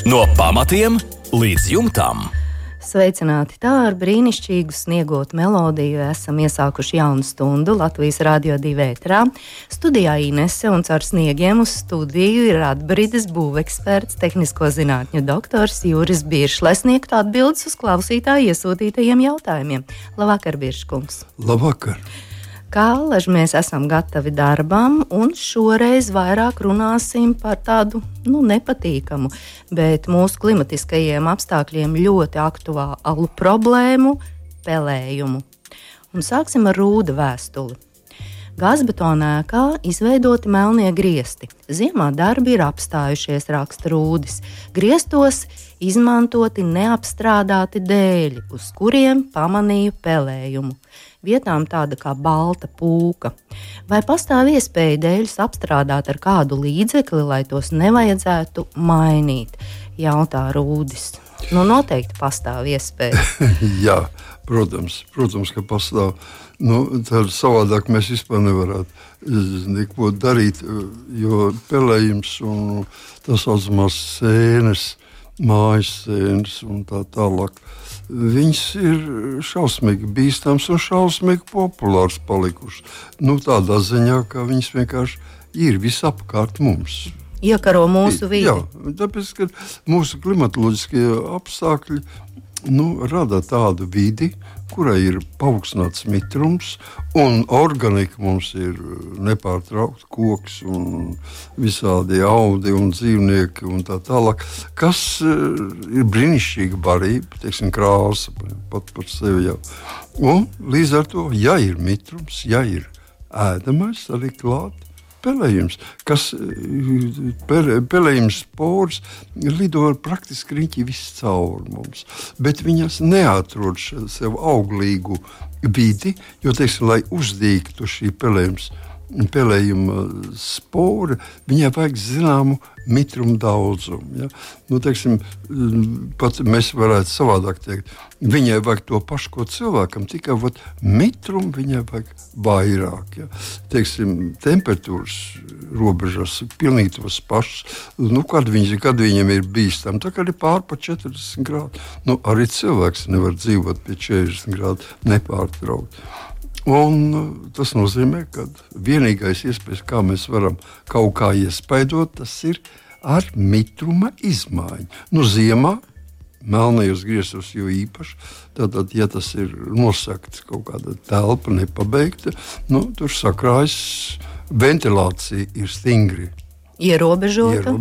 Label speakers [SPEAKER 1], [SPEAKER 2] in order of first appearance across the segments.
[SPEAKER 1] No pamatiem līdz jumtam.
[SPEAKER 2] Sveicināti! Tā ar brīnišķīgu sniegotu melodiju esam iesākuši jaunu stundu Latvijas Radio 2 ēterā. Studijā Inese un caur sniegiem uz studiju ir atbrides būveksperts, tehnisko zinātņu doktors Juris Biršs, lai sniegtu atbildes uz klausītāju iesūtītajiem jautājumiem. Labvakar, Birškungs!
[SPEAKER 3] Labvakar!
[SPEAKER 2] Kā allaž mēs esam gatavi darbam, un šoreiz vairāk runāsim par tādu nepatīkamu, bet mūsu klimatiskajiem apstākļiem ļoti aktuālu problēmu – pelējumu. Un sāksim ar Rūda vēstuli. Gāzbetona ēkā izveidoti melnie griesti. Ziemā darbi ir apstājušies, raksta Rūdis. Griestos izmantoti neapstrādāti dēļi, uz kuriem pamanīju pelējumu. Vietām tāda kā balta pūka. Vai pastāv iespēja dēļus apstrādāt ar kādu līdzekli, lai tos nevajadzētu mainīt? Jautā Rūdis. Noteikti pastāv iespēja.
[SPEAKER 3] Jā, protams, ka pastāv. Tad savādāk mēs vispār nevarētu neko darīt, jo pelējums un tā saucamās sēnes, mājas sēnes un tā tālāk, viņas ir šausmīgi bīstams un šausmīgi populārs palikušas. Tādā ziņā, ka viņas vienkārši ir visapkārt mums.
[SPEAKER 2] Iekaro mūsu vidi.
[SPEAKER 3] Jā, tāpēc, ka mūsu klimatoloģiskie apstākļi rada tādu vidi, kurai ir paaugstināts mitrums, un organika mums ir nepārtraukti koks un visādi audi un dzīvnieki un tā tālāk, kas ir brīnišķīga barība, teiksim, krāsa pat par sevi jau. Un līdz ar to, ja ir mitrums, ja ir ēdamais, arī klāt pelējums, kas pelējums spors lido praktiski riņķi viss cauri mums, bet viņas neatrod sev auglīgu vidi, jo, teiksim, lai uzdīgtu šī pelējuma spora, viņai vajag zināmu mitrumu daudzumu. Ja? Teiksim, pat mēs varētu savādāk teikt, viņai vajag to pašu, ko cilvēkam, tikai mitrumu viņai vajag vairāk. Ja? Teiksim, temperatūras robežas ir pilnīgi tos pašas. Kad viņam ir bīstami, tā kā ir pār pa 40 grādu. Arī cilvēks nevar dzīvot pie 40 grādu nepārtraukt. Un tas nozīmē, ka vienīgais iespējas, kā mēs varam kaut kā iespaidot, tas ir ar mitruma izmaiņu. Ziemā, melnajos griestos jo īpaši, tātad, ja tas ir nosakts kaut kāda telpa nepabeigta, tur sakrājas ventilācija ir stingri.
[SPEAKER 2] Ierobežota,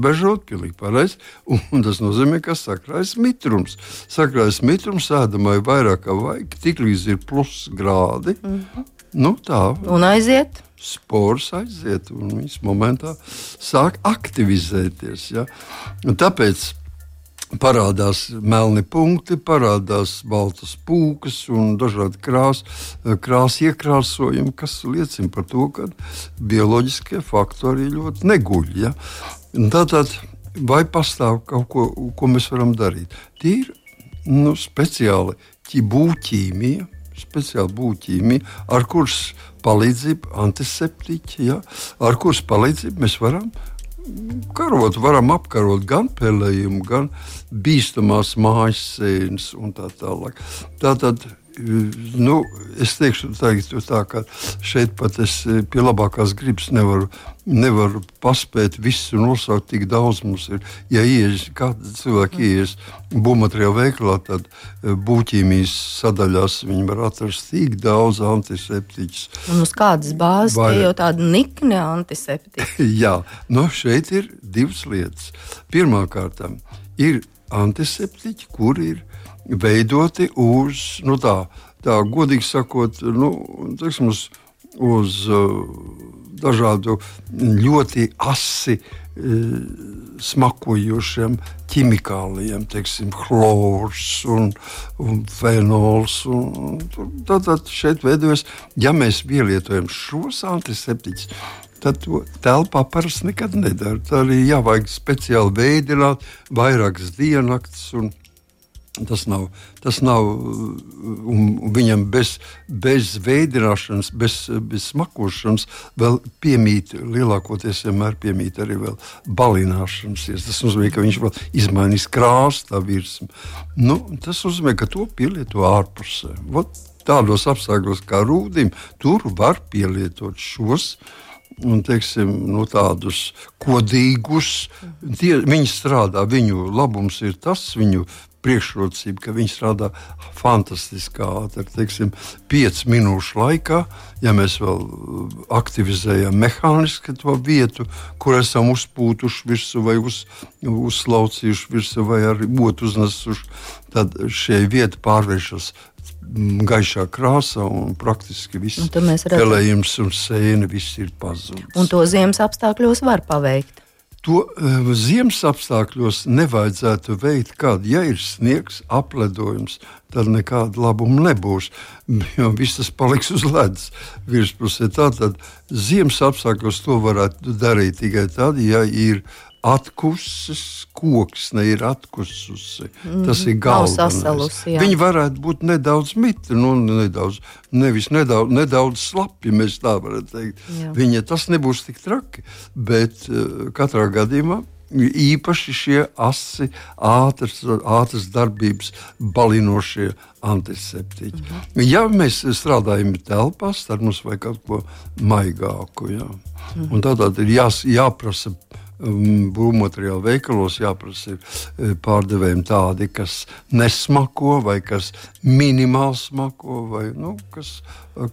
[SPEAKER 3] pilnīgi pareizi, un tas nozīmē, ka sakrājas mitrums. Sakrājas mitrums ēdamai vairāk kā vajag, tik līdz ir plus grādi. Tā.
[SPEAKER 2] Un aiziet?
[SPEAKER 3] Spors aiziet, un viņas momentā sāk aktivizēties. Ja? Un tāpēc parādās melni punkti, parādās baltas pūkas un dažādi krāsu iekrāsojumi, kas liecina par to, ka bioloģiskie faktori ļoti neguļ. Ja? Tātad, vai pastāv kaut ko mēs varam darīt? Tie ir speciāli būvķīmija, ar kuras palīdzību antiseptiķi, ja? Ar kuras palīdzību mēs varam apkarot gan pelējumu, gan bīstamās mājas sēnes un tā tālāk. Tātad, es teikšu tā, ka šeit pat es pie labākās gribas nevaru paspēt visu nosaukt, tik daudz mums ir. Ja kāda cilvēka ieies būvmateriālu veikalā, tad būvķīmijas sadaļās viņi var atrast tik daudz antiseptiķus.
[SPEAKER 2] Un uz kādas bāzes tie jau tādi nikni antiseptiķi?
[SPEAKER 3] Jā, šeit ir divas lietas. Pirmkārt, ir antiseptiķi, kuri ir veidoti uz, tā godīgi sakot, teiksim, uz dažādu ļoti asi smakojošiem ķimikāliem, teiksim, chlors un fenols. Tātad šeit veidojas, ja mēs pielietojam šos antiseptiķus, tad to telpā parasti nekad nedara. Tā arī jāvajag speciāli veidināt vairākas diennakts un Tas nav un viņam bez veidināšanas, bez smakošanas vēl piemīt, lielākoties vienmēr piemīt arī vēl balināšanas. Tas nozīmē, ka viņš vēl izmainīs krāsu tā virsmu. Tas nozīmē, ka to pielieto ārpusē. Tādos apstākļos kā rūdim, tur var pielietot šos un, teiksim, tādus kodīgus. Viņi strādā, viņu labums ir tas, viņu priekšrocība, ka viņi strādā fantastiski ātri, teiksim, 5 minūšu laikā, ja mēs vēl aktivizējam mehāniski to vietu, kur esam uzpūtuši virsmu vai uzslaucījuši virsmu vai ar otru uznesuši, tad šie vieta pārvēršas gaišā krāsā un praktiski viss pelējums un sēne viss ir pazudis.
[SPEAKER 2] Un to ziemas apstākļos var paveikt?
[SPEAKER 3] To ziemas apstākļos nevajadzētu veikt, ja ir sniegs, apledojums, tad nekāda labuma nebūs, jo viss tas paliks uz ledus virspusē. Tātad ziemas apstākļos to varētu darīt tikai tad, ja ir atkusis koksne, ir atkususi. Tas ir galvenais. Viņi varētu būt nedaudz mitri, nedaudz slapi, mēs tā varētu teikt. Tas nebūs tik traki, bet katrā gadījumā īpaši šie asi, ātras darbības balinošie antiseptiķi. Ja mēs strādājam telpās, tad mums vajag kaut ko maigāku. Un tātad ir jāprasa būvmateriālu veikalos, jāprasa pārdevējiem tādi, kas nesmako vai kas minimāli smako vai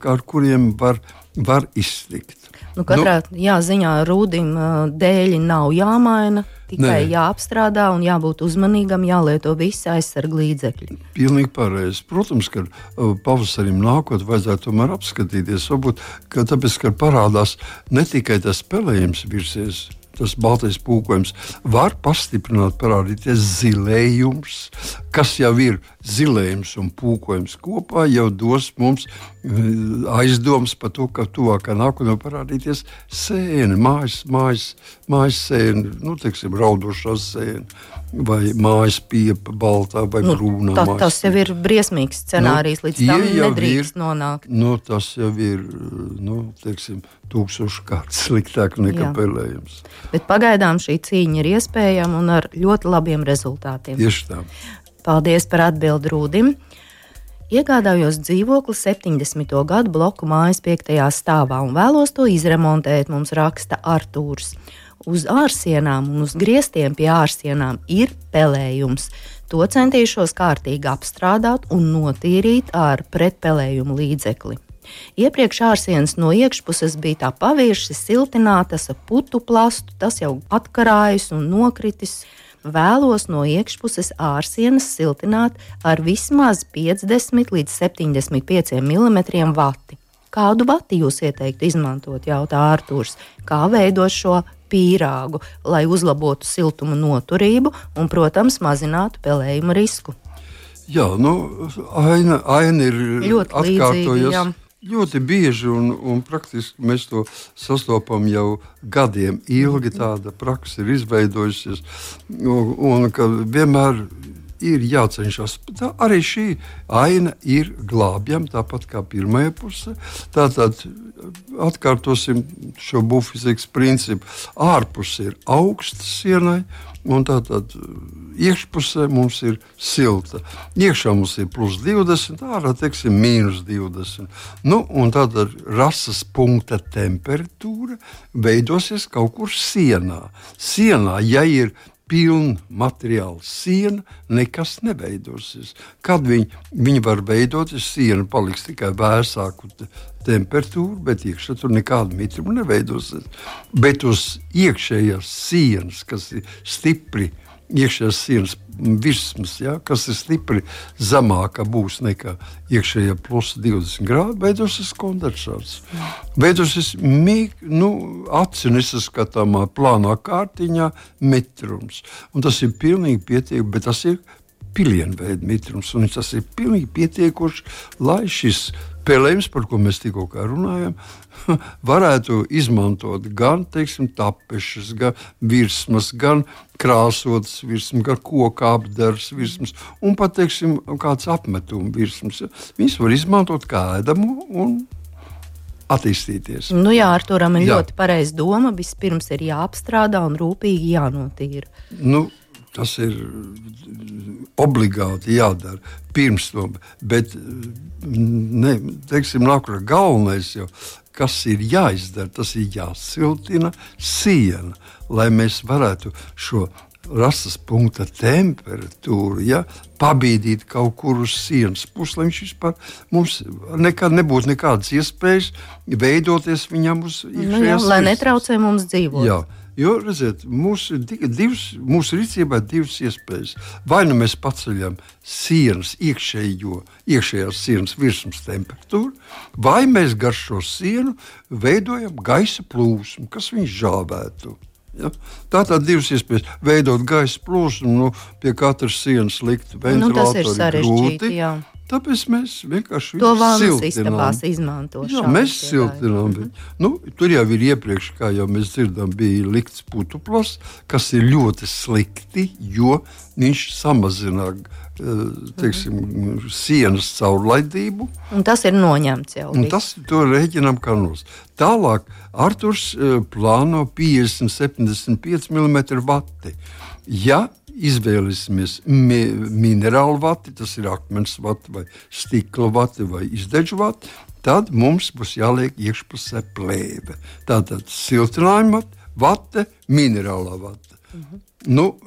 [SPEAKER 3] ar kuriem var iztikt.
[SPEAKER 2] Katrā ziņā rūdim dēļi nav jāmaina, tikai jāapstrādā un jābūt uzmanīgam, jālieto visi aizsarga līdzekļi.
[SPEAKER 3] Pilnīgi pareizi. Protams, ka pavasarim nākot vajadzētu tomēr apskatīties, varbūt, tāpēc, ka parādās ne tikai tas pelējums virsies, tas baltais pūkojums, var pastiprināt, parādīties zilējums, kas jau ir zilējums un pūkojums kopā, jau dos mums aizdomas par to, ka tuvākā nākotnē parādīties sēne, mājas sēne, teiksim, raudošā sēne, vai mājas piepa baltā vai brūnā mājas.
[SPEAKER 2] Tas jau ir briesmīgs scenārijs, līdz tam nedrīkst nonākt.
[SPEAKER 3] Tas jau ir, teiksim, 1000 kārtas sliktāk nekā pelējums.
[SPEAKER 2] Bet pagaidām šī cīņa ir iespējama un ar ļoti labiem rezultātiem.
[SPEAKER 3] Tieši tā.
[SPEAKER 2] Paldies par atbildi Rūdim. Iegādājos dzīvokli 70. gadu bloku mājas 5. stāvā un vēlos to izremontēt, mums raksta Artūrs. Uz ārsienām un uz griestiem pie ārsienām ir pelējums. To centīšos kārtīgi apstrādāt un notīrīt ar pretpelējumu līdzekli. Iepriekš ārsienas no iekšpuses bija tā pavirši siltinātas ar putu plastu, tas jau atkarājis un nokritis. Vēlos no iekšpuses ārsienas siltināt ar vismaz 50 līdz 75 mm vati. Kādu vati jūs ieteiktu izmantot, jautā Artūrs? Kā veidot šo pīrāgu, lai uzlabotu siltuma noturību un, protams, mazinātu pelējuma risku?
[SPEAKER 3] Jā, aina ir
[SPEAKER 2] ļoti
[SPEAKER 3] atkārtojas. Ļoti bieži un praktiski mēs to sastopam jau gadiem ilgi, tāda praksa ir izveidojusies un ka vienmēr ir jācenšas. Arī šī aina ir glābjama, tāpat kā pirmajā pusē. Tātad atkārtosim šo bufizikas principu. Ārpus ir augsta sienai un tātad iekšpusē mums ir silta. Iekšā mums ir +20, ārā, teiksim, -20. Un tāda rases punkta temperatūra veidosies kaut kur sienā. Sienā, ja ir pilna materiāla siena, nekas neveidosies. Kad viņi var veidoties, siena paliks tikai vēsāku temperatūru, bet iekšā tur nekāda mitruma neveidosies. Bet uz iekšējās sienas, kas ir stipri, iekšējās sienas virsmas, kas ir stipri zemāka būs nekā iekšējā +20 grādi, veidosies kondensāts. Veidosies aci nesaskatāmā plānā kārtiņā mitrums. Un tas ir pilnīgi pietiekami, bet tas ir pilienveida mitrums. Un tas ir pilnīgi pietiekoši, lai šis pelējums, par ko mēs tikko runājam, varētu izmantot gan, teiksim, tapešas, gan virsmas, gan krāsotas virsmas, gan koka apdars virsmas, un pat, teiksim, kāds apmetuma virsmas. Viņas var izmantot kā ēdamu un attīstīties.
[SPEAKER 2] Nu jā, Arturam ir ļoti pareiza doma. Vispirms ir jāapstrādā un rūpīgi jānotīra.
[SPEAKER 3] Nu, tas ir obligāti jādara pirms to, bet teiksim, nāk galvenais jau, kas ir jāizdara, tas ir jāsiltina siena, lai mēs varētu šo rastas punkta temperatūru, pabīdīt kaut kur uz sienas pusi, lai viņš vispār mums nekad nebūtu nekādas iespējas veidoties viņam uz iekšējās
[SPEAKER 2] lai netraucē mums dzīvot.
[SPEAKER 3] Jā. Jo, redziet, mūsu rīcībā ir divas iespējas. Vai nu mēs paceļam sienas iekšējās sienas virsmas temperatūru, vai mēs gar šo sienu veidojam gaisa plūsmu, kas viņš žāvētu. Ja? Tātad divas iespējas veidot gaisa plūsmu, pie katras sienas likt ventilātori
[SPEAKER 2] tas ir sarežģīti, jā.
[SPEAKER 3] Tāpēc mēs vienkārši
[SPEAKER 2] to vānas istabās izmanto.
[SPEAKER 3] Jā, mēs siltinām viņu. Tur jau ir iepriekš, kā jau mēs dzirdam, bija likts putuplas, kas ir ļoti slikti, jo viņš samazina sienas caurlaidību. Un tas ir noņemts jau. Un tas to rēķinām kā nos. Tālāk Arturs plāno 50-75 mm vati. Ja izvēlēsimies minerālu vati, tas ir akmens vati vai stikla vati vai izdedžu vati, tad mums būs jāliek iekšpusē plēve. Tātad siltinājuma vate, minerālā vate.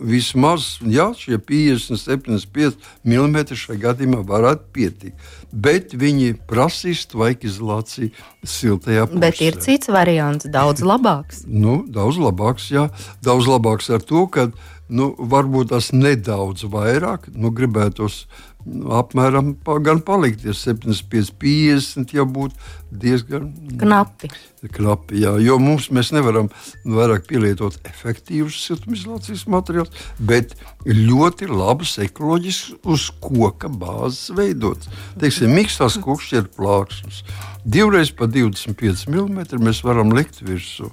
[SPEAKER 3] Vismaz, šie 50-75 mm šajā gadījumā varētu pietikt. Bet viņi prasīs tvaikizolāciju siltajā pusē. Bet ir cits variants, daudz labāks. Daudz labāks, jā. Daudz labāks ar to, ka varbūt tas nedaudz vairāk, gribētos apmēram gan palikties 75-50, ja būtu diezgan knapi, jā, jo mēs nevaram vairāk pielietot efektīvus siltumizolācijas materiālus, bet ļoti labus ekoloģiskus uz koka bāzes veidots. Teiksim, mīkstās kokšķieru plāksnes. 2 pa 25 mm mēs varam likt virsū.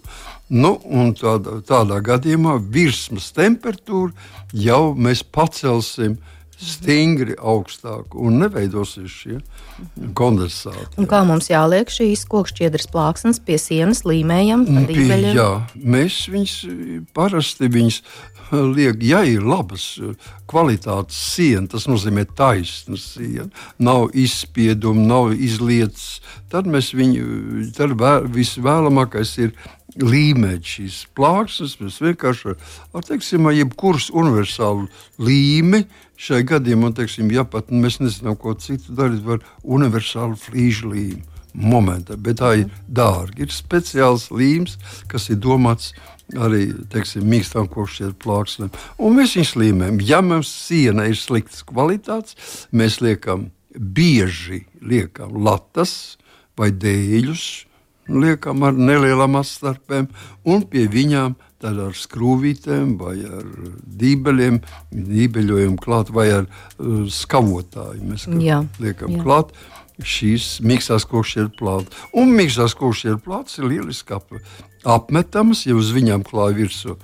[SPEAKER 3] Un tādā gadījumā virsmas temperatūru jau mēs pacelsim stingri augstāk un neveidosies šie kondensāti. Un kā mums jāliek šīs kokšķiedras plāksnes pie sienas līmējam? Jā, mēs parasti viņas liek, ja ir labas kvalitātes siena, tas nozīmē taisna siena, nav izspieduma, nav izlietas, tad visvēlamākais ir līmēt šīs plāksnes. Mēs vienkārši ar jebkuras universālu līmi šai gadījumā, pat mēs nezinām, ko citu darīt, var universālu flīžu līmi momentā, bet tā ir dārga. Ir speciāls līms, kas ir domāts arī, mīkstām kokšķieru plāksnēm. Un mēs viņus līmējam. Ja mums siena ir sliktas kvalitātes, mēs bieži liekam latas vai dēļus, liekam ar nelielām atstarpēm, un pie viņām tad ar skrūvītēm vai ar dībeļojam klāt, vai ar skavotāju mēs liekam klāt šīs mīkstās kokšķieru plātes. Un mīkstās kokšķieru plātes ir lieliski apmetamas, ja uz viņām klāja virsū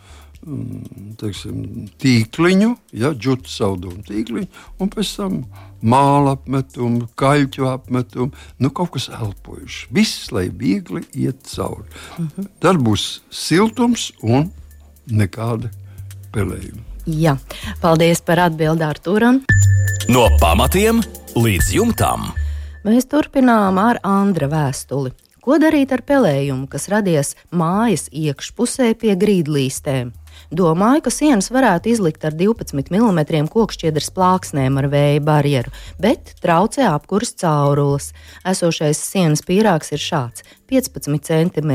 [SPEAKER 3] tīkliņu, džutu saudumu tīkliņu, un pēc tam māla apmetumu, kaļķu apmetumu, kaut kas elpojuši. Viss, lai viegli iet cauri. Tad būs siltums un nekāda pelējuma.
[SPEAKER 2] Jā, paldies par atbildi Arturam.
[SPEAKER 1] No pamatiem līdz jumtam.
[SPEAKER 2] Mēs turpinām ar Andra vēstuli. Ko darīt ar pelējumu, kas radies mājas iekšpusē pie grīdlīstēm? Domāju, ka sienas varētu izlikt ar 12 mm kokšķiedras plāksnēm ar vēja barjeru, bet traucē apkures caurules. Esošais sienas pīrāgs ir šāds: 15 cm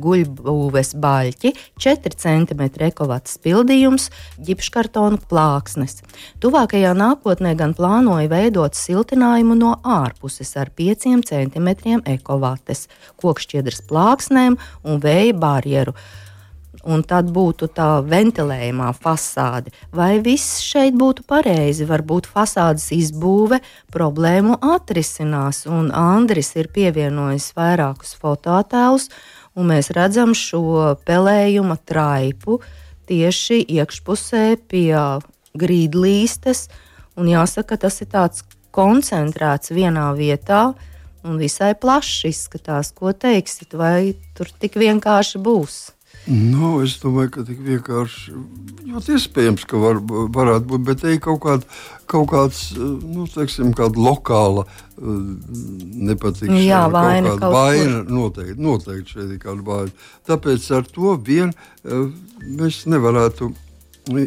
[SPEAKER 2] guļbūves baļķi, 4 cm ekovats pildījums, ģipškartonu plāksnes. Tuvākajā nākotnē gan plānoju veidot siltinājumu no ārpuses ar 5 cm ekovates, kokšķiedras plāksnēm un vēja barjeru. un tad būtu tā ventilējumā fasāde. Vai viss šeit būtu pareizi? Varbūt fasādes izbūve problēmu atrisinās, un Andris ir pievienojis vairākus fotoattēlus, un mēs redzam šo pelējuma traipu tieši iekšpusē pie grīdlīstes, un jāsaka, tas ir tāds koncentrēts vienā vietā, un visai plašs izskatās. Ko teiksit, vai tur tik vienkārši būs?
[SPEAKER 3] Nu, es domāju, ka tik vienkārši ļoti iespējams, ka varētu būt, bet te ir kaut kāds, nu, teiksim, kāda lokāla nepatikšana.
[SPEAKER 2] Jā, vaina
[SPEAKER 3] kaut kāda vaina, noteikti šeit ir kāda vaina. Tāpēc ar to vien mēs nevarētu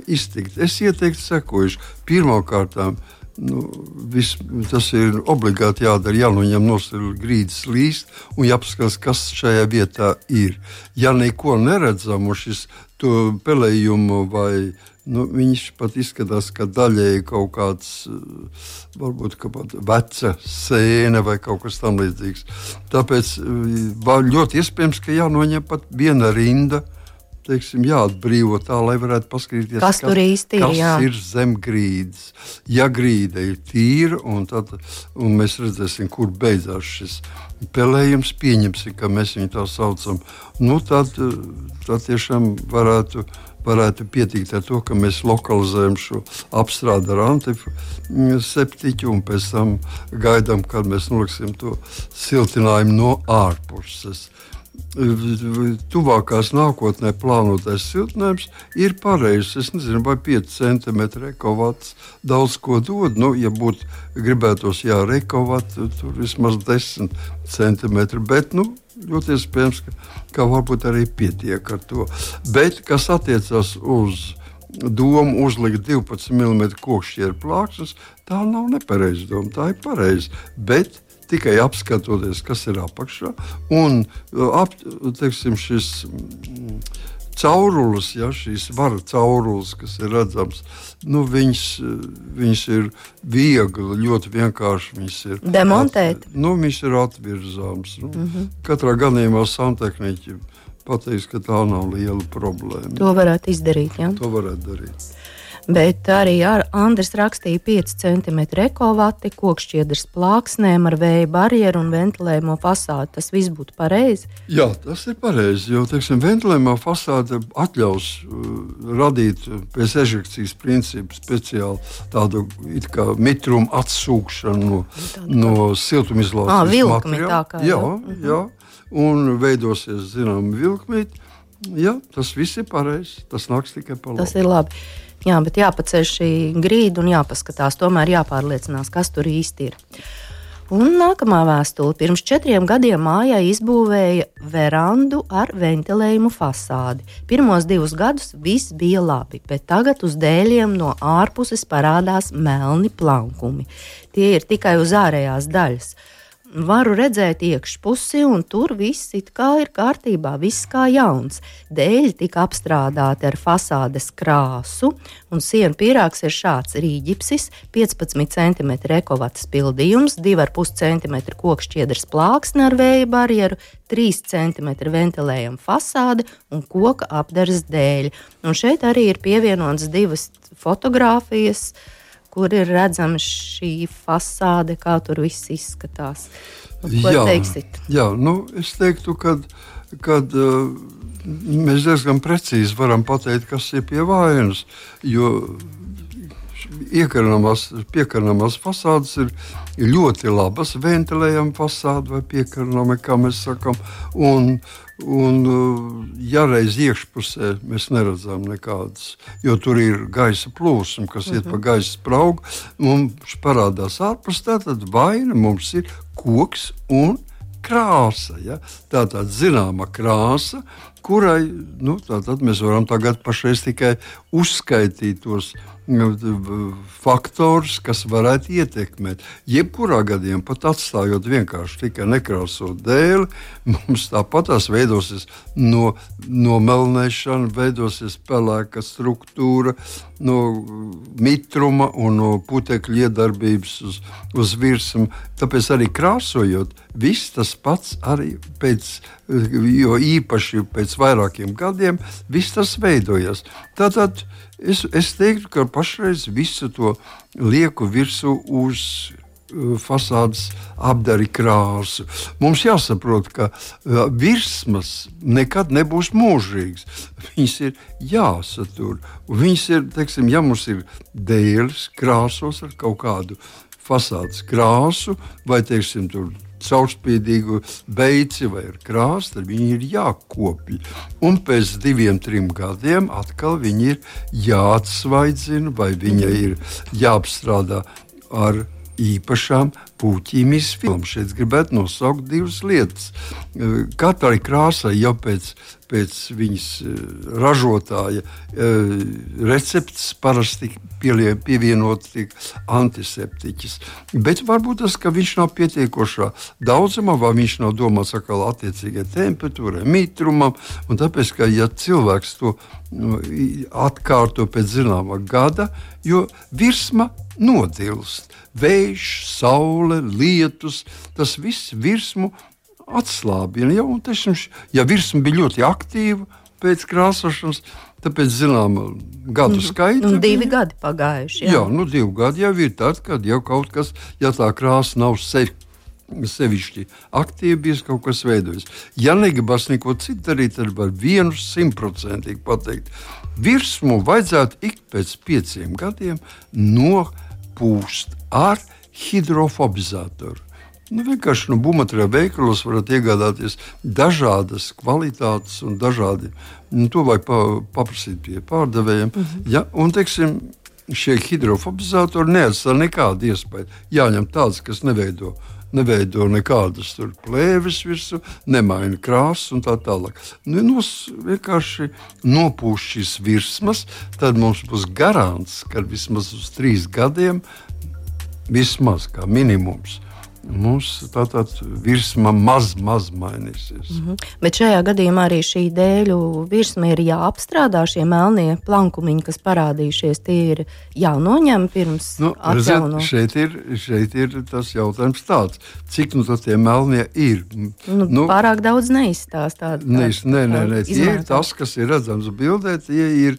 [SPEAKER 3] iztikt. Es ieteiktu sekojuši. Pirmkārtām, tas ir obligāti jādara, jānoņem nost grīdas līst un jāpaskatās, kas šajā vietā ir. Ja neko neredzam uz šis pelējumu vai viņš pat izskatās, ka daļēji kaut kāds, varbūt veca sēne vai kaut kas tam līdzīgs. Tāpēc ļoti iespējams, ka jānoņem pat viena rinda, teiksim, jāatbrīvo tā, lai varētu paskatīties,
[SPEAKER 2] kas tur īsti ir,
[SPEAKER 3] ir zem grīdas. Ja grīda ir tīra, un mēs redzēsim, kur beidzās šis pelējums, pieņemsim, ka mēs viņu tā saucam, tad tiešām varētu pietikt ar to, ka mēs lokalizējam šo apstrādi ar antiseptiķu un pēc tam gaidām, kad mēs noliksim to siltinājumu no ārpuses. Tuvākās nākotnē plānotais siltinājums ir pareizs. Es nezinu, vai 5 cm ekovats daudz ko dod. Ja būtu gribētos ekovats, tur vismaz 10 cm. Bet ļoti iespējams, ka varbūt arī pietiek ar to. Bet, kas attiecas uz domu uzlikt 12 mm kokšķieru plāksnes, tā nav nepareiza doma, tā ir pareiza. Bet tikai apskatoties, kas ir apakšā, un teiksim, šis caurulis, šīs vara caurulis, kas ir redzams, viņš ir viegli, ļoti vienkārši. Viņš ir
[SPEAKER 2] demontēt.
[SPEAKER 3] Viņš ir atvirzāms. Katrā gadījumā santehniķi pateiks, ka tā nav liela problēma.
[SPEAKER 2] To varētu izdarīt, jā?
[SPEAKER 3] To varētu darīt.
[SPEAKER 2] Bet arī Andris rakstīja 5 cm ekovati, kokšķiedras plāksnēm ar vēja barjeru un ventilējumu fasādi. Tas viss būtu pareizi? Jā,
[SPEAKER 3] tas ir pareizi, jo, teiksim, ventilējumā fasāde atļaus radīt pēc ežekcijas principu speciāli tādu it kā mitrumu atsūkšanu no siltumizolācijas
[SPEAKER 2] vilkmi
[SPEAKER 3] materiāla.
[SPEAKER 2] Tā kā.
[SPEAKER 3] Jā, un veidosies, zinām, vilkmīt. Jā, tas viss ir pareizi, tas nāks tikai pa labu.
[SPEAKER 2] Tas ir labi. Jā, bet jāpaceļ šī grīda un jāpaskatās, tomēr jāpārliecinās, kas tur īsti ir. Un nākamā vēstule. Pirms 4 gadiem mājai izbūvēja verandu ar ventilējumu fasādi. Pirmos 2 gadus viss bija labi, bet tagad uz dēļiem no ārpuses parādās melni plankumi. Tie ir tikai uz ārējās daļas. Varu redzēt iekšpusi, un tur viss it kā ir kārtībā, viss kā jauns. Dēļi tika apstrādāti ar fasādes krāsu, un sienu pīrāgs ir šāds: rīģipsis, 15 cm ekovats pildījums, 2,5 cm kokšķiedras plāksne ar vēja barjeru, 3 cm ventilējuma fasāde un koka apdares dēļi. Un šeit arī ir pievienotas 2 fotogrāfijas, kur ir redzama šī fasāde, kā tur viss izskatās. Ko teiksit?
[SPEAKER 3] Jā, es teiktu, ka mēs diezgan precīzi varam pateikt, kas ir pie vainas, jo piekarnamās fasādes ir ļoti labas, ventilējama fasāde vai piekarnama, kā mēs sakam, un ja reiz iekšpusē mēs neredzam nekādas, jo tur ir gaisa plūsma, kas iet pa gaisa spraugu, mums parādās ārpus, tātad vaina mums ir koks un krāsa. Ja? Tātad zināma krāsa, kurai tātad mēs varam tagad pašreiz tikai uzskaitīt tos faktorus, kas varētu ietekmēt. Jebkurā gadījumā, pat atstājot vienkārši tikai nekrāsot dēli, mums tāpatās veidosies nomelnēšana, veidosies pelēka struktūra, no mitruma un no putekļu iedarbības uz virsmu. Tāpēc arī krāsojot, viss tas pats arī pēc jo īpaši pēc vairākiem gadiem viss tas veidojas. Tātad es teiktu, ka pašreiz visu to lieku virsū uz fasādes apdari krāsu. Mums jāsaprot, ka virsmas nekad nebūs mūžīgas. Viņas ir jāsatur. Viņas ir, teiksim, ja mums ir dēļas krāsos ar kaut kādu fasādes krāsu vai, teiksim, tur caurspīdīgu beici vai ar krāsu, tad viņi ir jākopļ. Un pēc 2-3 gadiem atkal viņi ir jāatsvaidzina vai viņa ir jāapstrādā ar īpašām puķīm izfilmām. Šeit gribētu nosaukt 2 lietas. Katrai krāsai jau pēc viņas ražotāja receptes parasti pievienot antiseptiķis. Bet varbūt tas, ka viņš nav pietiekošā daudzumā, vai viņš nav domāts atkal attiecīgai temperatūrai, mitrumam, un tāpēc, ka ja cilvēks to atkārto pēc zināmā gada, jo virsma nodilst. Vējš, saule, lietus, tas viss virsmu atslābina. Ja, un, tešim, ja virsma bija ļoti aktīva pēc krāsošanas, tāpēc zināma gadu skaita.
[SPEAKER 2] 2 gadi pagājuši.
[SPEAKER 3] Jā, 2 gadi jau ir tad, kad jau kaut kas, ja tā krāsa nav sevišķi aktīvi, bijis kaut kas veidojas. Ja negribas neko citu darīt, tad var 100% pateikt. Virsmu vajadzētu ik pēc 5 gadiem nopūst ar hidrofobizatoru. Vienkārši būvmateriālu veikalos varat iegādāties dažādas kvalitātes un dažādi. To vajag paprasīt pie pārdevējiem. Ja, un, teiksim, šie hidrofobizatori neatstāja nekādu iespēju. Jāņem tāds, kas neveido nekādas plēves virsū, nemaina krāsas un tā tālāk. Vienkārši nopūst šīs virsmas, tad mums būs garants, ka vismaz uz 3 gadiem, vismaz kā minimums, mums tātad virsma maz mainīsies.
[SPEAKER 2] Bet šajā gadījumā arī šī dēļu virsma ir jāapstrādā, šie melnie plankumiņi, kas parādījušies, tie ir jānoņem pirms atjauno.
[SPEAKER 3] Šeit ir tas jautājums tāds, cik tie melnie ir.
[SPEAKER 2] Pārāk daudz neizstāstā.
[SPEAKER 3] Nē, tie ir tas, kas ir redzams bildē, tie ir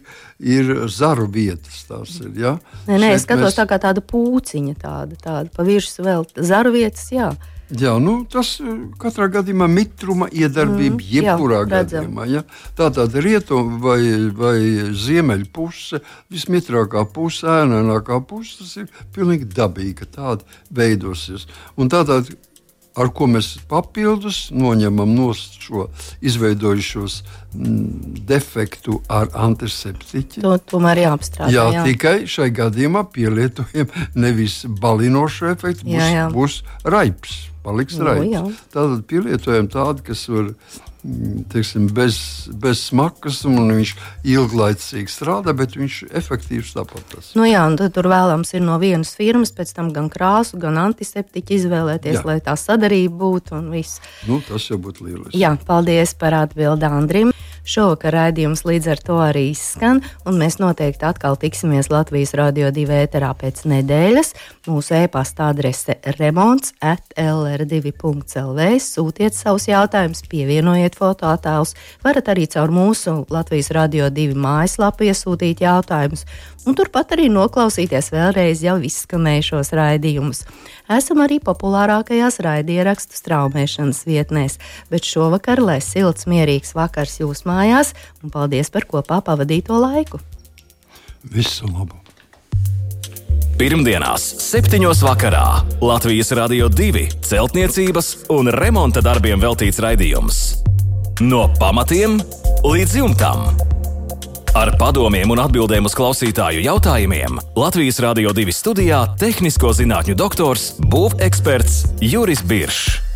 [SPEAKER 3] zaru vietas. Tās ir, ja?
[SPEAKER 2] Nē, es skatos tā kā tāda pūciņa, tāda pa virsmu vēl zaru vietas. Jā,
[SPEAKER 3] tas katrā gadījumā mitruma iedarbība jebkurā gadījumā. Ja? Tātad rietum vai ziemeļu puse, vismitrākā puse, ēnainākā puse, tas ir pilnīgi dabīgi, ka tāda veidosies. Un tātad, ar ko mēs papildus noņemam no šo izveidojušos defektu ar antiseptiķi.
[SPEAKER 2] Tomēr jāapstrādā.
[SPEAKER 3] Jā, tikai šai gadījumā pielietojam nevis balinošu efektu, būs raips, paliks raips. Tātad pielietojam tādu, kas var, teiksim, bez smakas, un viņš ilglaicīgi strādā, bet viņš efektīvs tāpat.
[SPEAKER 2] Un tad tur vēlams ir no vienas firmas, pēc tam gan krāsu, gan antiseptiķi izvēlēties, lai tā sadarība būtu un viss.
[SPEAKER 3] Tas jau būtu lieliski.
[SPEAKER 2] Jā, paldies par atbildi Andrim. Šovakar raidījums līdz ar to arī izskan, un mēs noteikti atkal tiksimies Latvijas Radio 2 ēterā pēc nedēļas. Mūsu e-pasta adrese remonts@lr2.lv. Sūtiet savus jautājumus, pievienojiet fotoattēlus. Varat arī caur mūsu Latvijas Radio 2 mājaslapu iesūtīt jautājumus, un turpat arī noklausīties vēlreiz jau izskanējušos raidījumus. Esam arī populārākajās raidierakstu straumēšanas vietnēs, bet šovakar, lai silts, mierīgs vakars jūs mājās, un paldies par kopā pavadīto laiku.
[SPEAKER 3] Visu labu!
[SPEAKER 1] Pirmdienās 7. vakarā Latvijas Radio 2 celtniecības un remonta darbiem veltīts raidījums. No pamatiem līdz jumtam. Ar padomiem un atbildēm uz klausītāju jautājumiem Latvijas Radio 2 studijā tehnisko zinātņu doktors, būveksperts Juris Biršs.